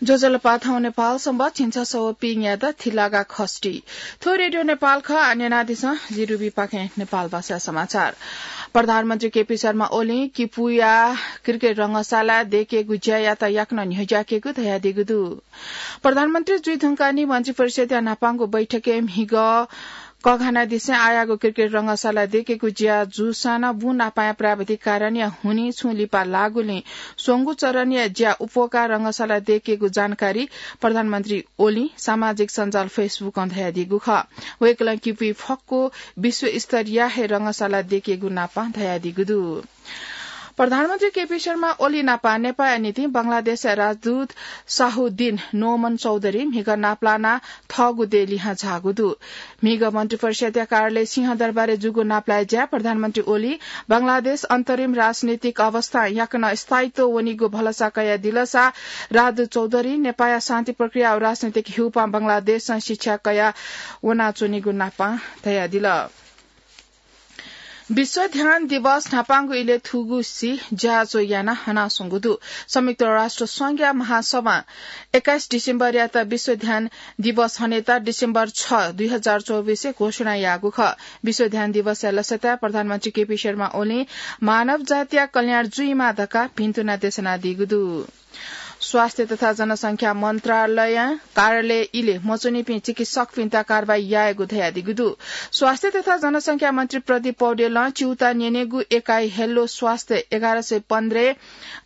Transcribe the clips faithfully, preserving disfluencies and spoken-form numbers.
ज्वजलपा, थौं नेपाल संवत् झिंछसः व पीन्यादँ थिलागा खष्ठी। थ्व रेडियो नेपाल खः, आः न्यनादिसँ, जि रुबी पाखें नेपाल भाषा समाचार। प्रधानमन्त्री केपी शर्मा ओलीं किपुया क्रिकेट रंगशाला दयेकेगु ज्यायात याकनं न्ह्यज्याकेगु धयादीगु दु। प्रधानमन्त्री जुइ धुंकाः नि मन्त्रिपरिषद्या न्हापांगु बैठकय् म्हिगः कःघानादिसें आःयागु क्रिकेट रंगशाला दयेकेगु ज्या जूसां नं बुँ नापांया प्राविधिक कारणया हुनिं छुं लिपा लाःगुलिं स्वंगू चरणया ज्या उप्वकाः रंगशाला दयेकेगु जानकारी प्रधानमन्त्री ओलीं सामाजिक सञ्जाल Facebook-ं धयादीगु खः। वय्कलं किपुइ फक्व विश्वस्तरीय हे रंगशाला दयेकेगु नापं धयादीगु दु। प्रधानमन्त्री केपी शर्मा ओली नापं नेपाःया निंतिं बंगलादेशया राजदूत साहुद्दिन नोमन चौधरी म्हिगः नापलानाः थःगु देय् लिहां झाःगु दु। म्हिगः मन्त्रिपरिषद्या कार्यालय सिंहदरबारय् जूगु नापलाये ज्याय् प्रधानमन्त्री ओली बंगलादेश अन्तरिम राजनीतिक अवस्थां याकनं स्थायित्व वनीगु भलसा कयादिलसा राजदूत चौधरी नेपाःया शान्ति प्रक्रिया व राजनीतिक हिउपां बंगलादेशं शिक्षा कयाः वनाच्वनीगु नापं धयादिल। विश्व ध्यान दिवस न्हापांगु इलय् थुगुसी ज्याझ्वः यानाः हनाच्वंगु दु। संयुक्त राष्ट्र संघया महासभां एक्काइस डिसेम्बरयात विश्व ध्यान दिवस हनेत डिसेम्बर छ, दुई हजार चौबिसय् घोषणा याःगु खः। विश्व ध्यान दिवसया लसताय् प्रधानमन्त्री केपी शर्मा ओलीं मानव जातिया कल्याण जुइमा धकाः भिन्तुना देछानादीगु दु। स्वास्थ्य तथा जनसंख्या मन्त्रालयं कार्यालय इलय् मच्वनीपिं चिकित्सकपिन्त कारवाही यायेगु धयादीगु दु। स्वास्थ्य तथा जनसंख्या मन्त्री प्रदीप पौडेलं च्यूता न्यनेगु एकाइ हेल्लो स्वास्थ्य एघार सय पन्ध्रय्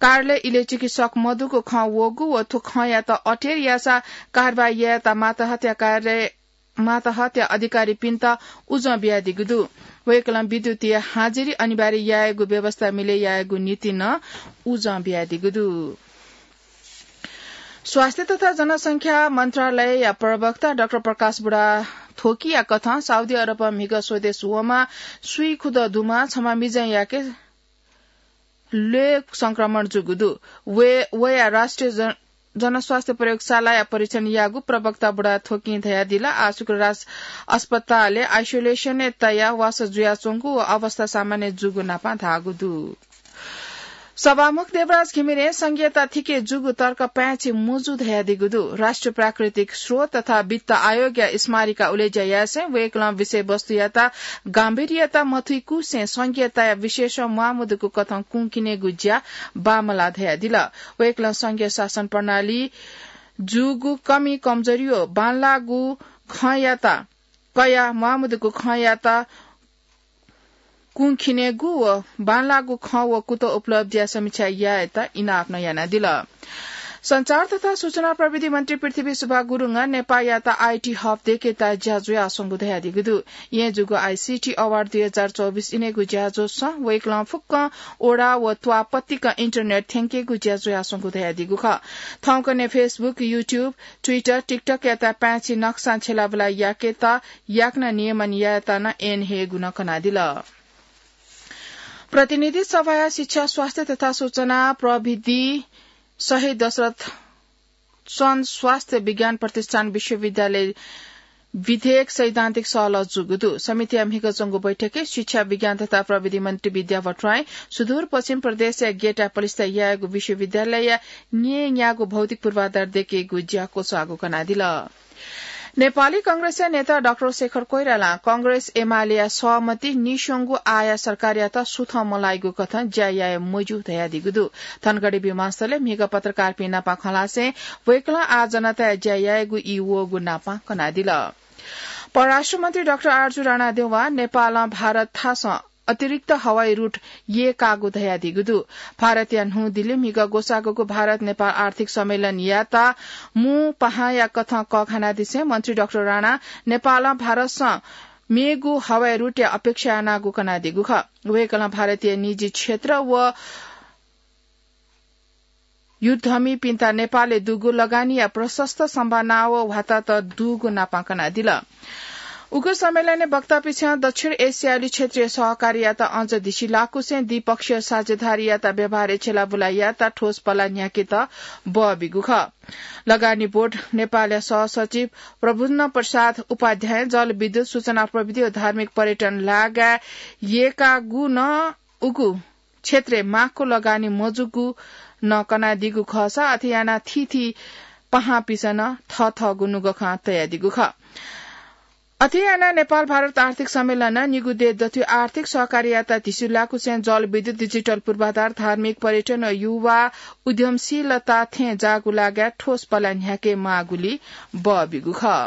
कार्यालय इलय् चिकित्सक मदुगु खँ वःगु व थ्व खँयात अटेर याःसा कारवाही यायेत मातहतया कार्यालय मातहतया अधिकारीपिन्त उजं बियादीगु दु। वय्कलं विद्युतीय हाजिरी अनिवार्य यायेगु व्यवस्था मिले यायेगु निंतिं नं उजं बियादीगु दु। स्वास्थ्य तथा जनसंख्या मन्त्रालयया प्रवक्ता डाक्टर प्रकाश बुढाथोकीया कथं साउदी अरबं म्हिगः स्वदेश वःम्ह स्वीखुदँ दुम्ह छम्ह मिजंयाके ल्वय् संक्रमण जूगु दु। वय्, वया राष्ट्रिय जन-, जनस्वास्थ्य प्रयोगशालाया परीक्षण याःगु प्रवक्ता बुढाथोकीं धयादिल। आः शुक्रराज अस्पतालय् आइसोलेसनय् तयाः वासः जुयाच्वंगु व अवस्था सामान्य जूगु नापं धाःगु दु। सभामुख देवराज घिमिरें संघीयता थिके जूगु तर्क पाय्छि मजू धयादीगु दु। राष्ट्रिय प्राकृतिक स्रोत तथा वित्त आयोगया स्मारिका उलेज्या यासें वय्कलं विषयवस्तुयात गाम्भीर्यता मथुइकुसें संघीयताया विशेष म्वाःमदुगु कथं कुंखिनेगु ज्या बांमलाः धयादिल। वय्कलं संघीय शासन प्रणाली जूगु कमी कमजोरी व बांलाःगु खँयात कयाः म्वाःमदुगु खँयात कुंखिनेगु व बांलाःगु खँ व कुतः उपलब्धिया समीक्षा यायेत इनाप नं यानादिल। सञ्चार तथा सूचना प्रविधि मन्त्री पृथ्वी सुब्बा गुरुङं नेपाःयात आईटी हब दयेकेत ज्या जुयाच्वंगु धयादीगु दु। येँ जूगु आईसीटी अवार्ड दुई हजार चौबिस इनेगु ज्याझ्वलय् वय्कलं फुक्कं ओडा व त्वाः पतिकं इन्टरनेट थ्यंकेगु ज्या जुयाच्वंगु धयादीगु खः। थौंकन्हय् Facebook, YouTube, Twitter, TikTok-यात पाय्छि नक्सां छ्यलाबुला याकेत याकनं नियमन यायेत नं ऐन हयेगु नं कनादिल। प्रतिनिधि सभाया शिक्षा, स्वास्थ्य तथा सूचना प्रविधि शहीद दशरथ चन्द स्वास्थ्य विज्ञान प्रतिष्ठान विश्वविद्यालय विधेयक सैद्धान्तिक सहलह जूगु दु। समितिया म्हिगः च्वंगु बैठकय् शिक्षा, विज्ञान तथा प्रविधि मन्त्री विद्या भट्टराईं सुदूरपश्चिम प्रदेशया ग्यता पलिस्था यायेगु विश्वविद्यालयया न्यय्‌न्यागू भौतिक पूर्वाधार दयेकेगु ज्या क्वचाःगु कनादिल। नेपाली कांग्रेसया नेता डाक्टर शेखर कोइरालां कांग्रेस एमालेया सहमति निस्वंगु आःया सरकारयात सुथं मलाइगु कथं ज्या याये मज्यू धयादीगु दु। धनगढी विमानस्थलय् म्हिगः पत्रकारपिं नाप खँ ल्हासें वय्कलं आः जनताया ज्या यायेगु ई वःगु नाप कनादिल। परराष्ट्र मन्त्री डाक्टर आरजु राणाद्यवं नेपालं भारत थासं अतिरिक्त हवाई रूट यय्‌काःगु धयादीगु दु। भारतया न्हू दिल्लीइ म्हिगः ग्वसाःगु भारत नेपाल आर्थिक सम्मेलनयात मू पाहांया कथं कःघानादिसें मन्त्री डाक्टर राणां नेपालं भारतसं मेगु हवाई रूटया अपेक्षा यानागु कनादीगु खः। वय्‌कलं भारतीय निजी क्षेत्र व उद्यमीपिन्त नेपालय् दुगु लगानीया प्रशस्त सम्भावना व वातावरण दुगु नाप कनादिल। उगु सम्मेलनय् वक्तापिन्सं दक्षिण एसियाली क्षेत्रीय सहकारीयात अझ धिसिलाकुसें द्विपक्षीय साझेदारीयात व्यवहारय् छ्यलाबुला यायेत ठोस पला न्ह्याकेत बः बीगु खः। लगानी बोर्ड नेपालया सहसचिव प्रभुन्न प्रसाद उपाध्यायं जलविद्युत, सूचना प्रविधि व धार्मिक पर्यटन लगायत यय्‌काःगु नं उगु क्षेत्रय् माक्व लगानी मजूगु नं कनादीगु खःसा अथे यानाः थीथी पाहांपिसं नं थःथःगु नुगः खँ तयादीगु खः। अथे यानाः नेपाल भारत आर्थिक सम्मेलनं निगू देय् दथुइ आर्थिक सहकार्ययात धिसि लाकुसें जलविद्युत, डिजिटल पूर्वाधार, धार्मिक, पर्यटन व युवा उद्यमशीलता थें जाःगु लागाय् ठोस पला न्ह्याके माःगुली बबिगु खः।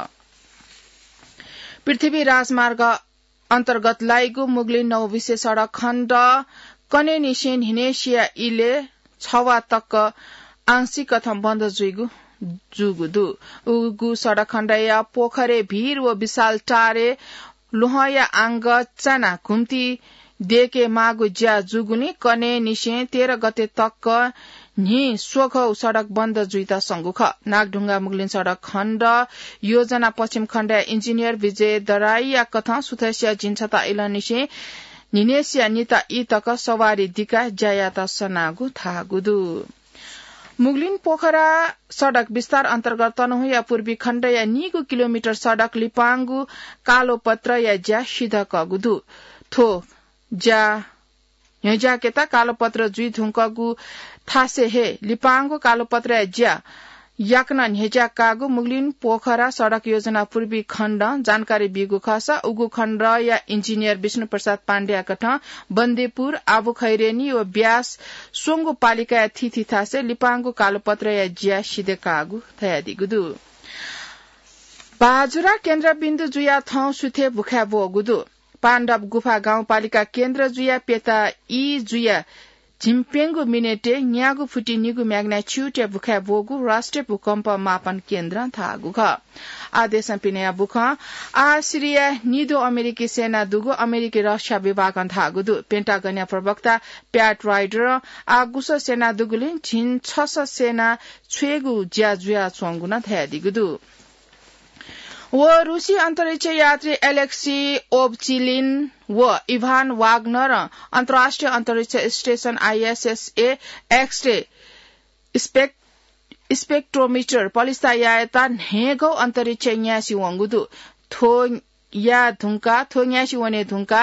पृथ्वी राजमार्ग अन्तर्गत लाइगु मुगलिन नौबिसे सडक खण्ड कनेनिसें न्हिनेसिया इले छवा तक आंशिक कथं बन्द जुइगु जूगु दु। उगु सडक खण्डया पोखरे भीर व विशाल टारे ल्वहंया आंग चाना घुम्ती देके माःगु ज्या जूगुलिं कनेनिसें तेह्र गते तक न्हि स्वघौ सडक बन्द जुइत संगु खः। नागढुङ्गा मुगलिन सडक खण्ड योजना पश्चिम खण्डया इन्जिनियर विजय दराईया कथं सुथसिया झिंछता इलंनिसें न्हिनेसिया निता ई तक सवारी दिकाः ज्यायात सनागु धाःगु दु। मुगलिन पोखरा सडक विस्तार अन्तर्गत तनहुँया पूर्वी खण्डया निगू किलोमिटर सडक लिपांगु कालोपत्रया ज्या सिधकःगु दु। थ्व ज्या न्ह्यज्याकेत कालोपत्र जुइ धुंकूगु थासय् हे लिपांगु कालोपत्रया ज्या याकनं न्ह्यज्याकाःगु मुगलिन पोखरा सडक योजना पूर्वी खण्डं जानकारी बीगु खःसा उगु खण्डया इन्जिनियर विष्णु प्रसाद पाण्डेया कथं बन्देपुर, आबुखैरेनी व ब्यास स्वंगु पालिकाया थीथी थासय् लिपांगु कालोपत्रया ज्या सिधकाःगु धयादीगु दु। बाजुरा केन्द्रबिन्दु जुया थौं सुथे भुखाय् ब्वःगु दु। पाण्डव गुफा गाउँपालिका केन्द्र जुया प्यता ई जुया झिंप्यंगू मिनेटय् न्यागू फुति निगू म्याग्नाच्युटया भुखाय् ब्वःगु राष्ट्रिय भूकम्प मापन केन्द्रं धाःगु खः। आदेशं पिनया भूखं आः सिरिया निदँ अमेरिकी सेना दुगु अमेरिकी रक्षा विभागं धाःगु दु। पेन्टागनया प्रवक्ता प्याट राइडरं आः गुसः सेना दुगुलिं झिंछसः सेना छ्वयेगु ज्या जुयाच्वंगु नं धयादीगु दु। व रुसी अन्तरिक्ष यात्री एलेक्सी ओभचिलिन व इभान वाग्नरं अन्तर्राष्ट्रिय अन्तरिक्ष स्टेसन आइएसएसए एक्सरे स्पेक-, स्पेक्ट्रोमिटर पलिस्था यायेत न्हय्‌गौ अन्तरिक्ष न्यासि वंगु दु। थ्व या धुंका, थ्व न्यासि वने धुंका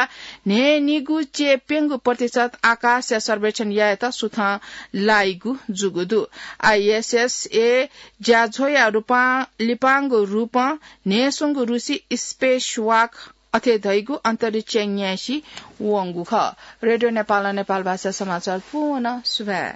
न्हय्‌निगू चे प्यंगू प्रतिशत आकाशया सर्वेक्षण यायेत सुथं लाइगु जूगु दु। आइएसएसए ज्याझ्वःया रूपं, लिपांगु रूपं न्हय्‌स्वंगू रुसी स्पेस वाक अथे धइगु अन्तरिक्ष न्यासि वंगु खः। रेडियो नेपालं नेपाल भाषा समाचार पूवं सुभाय्।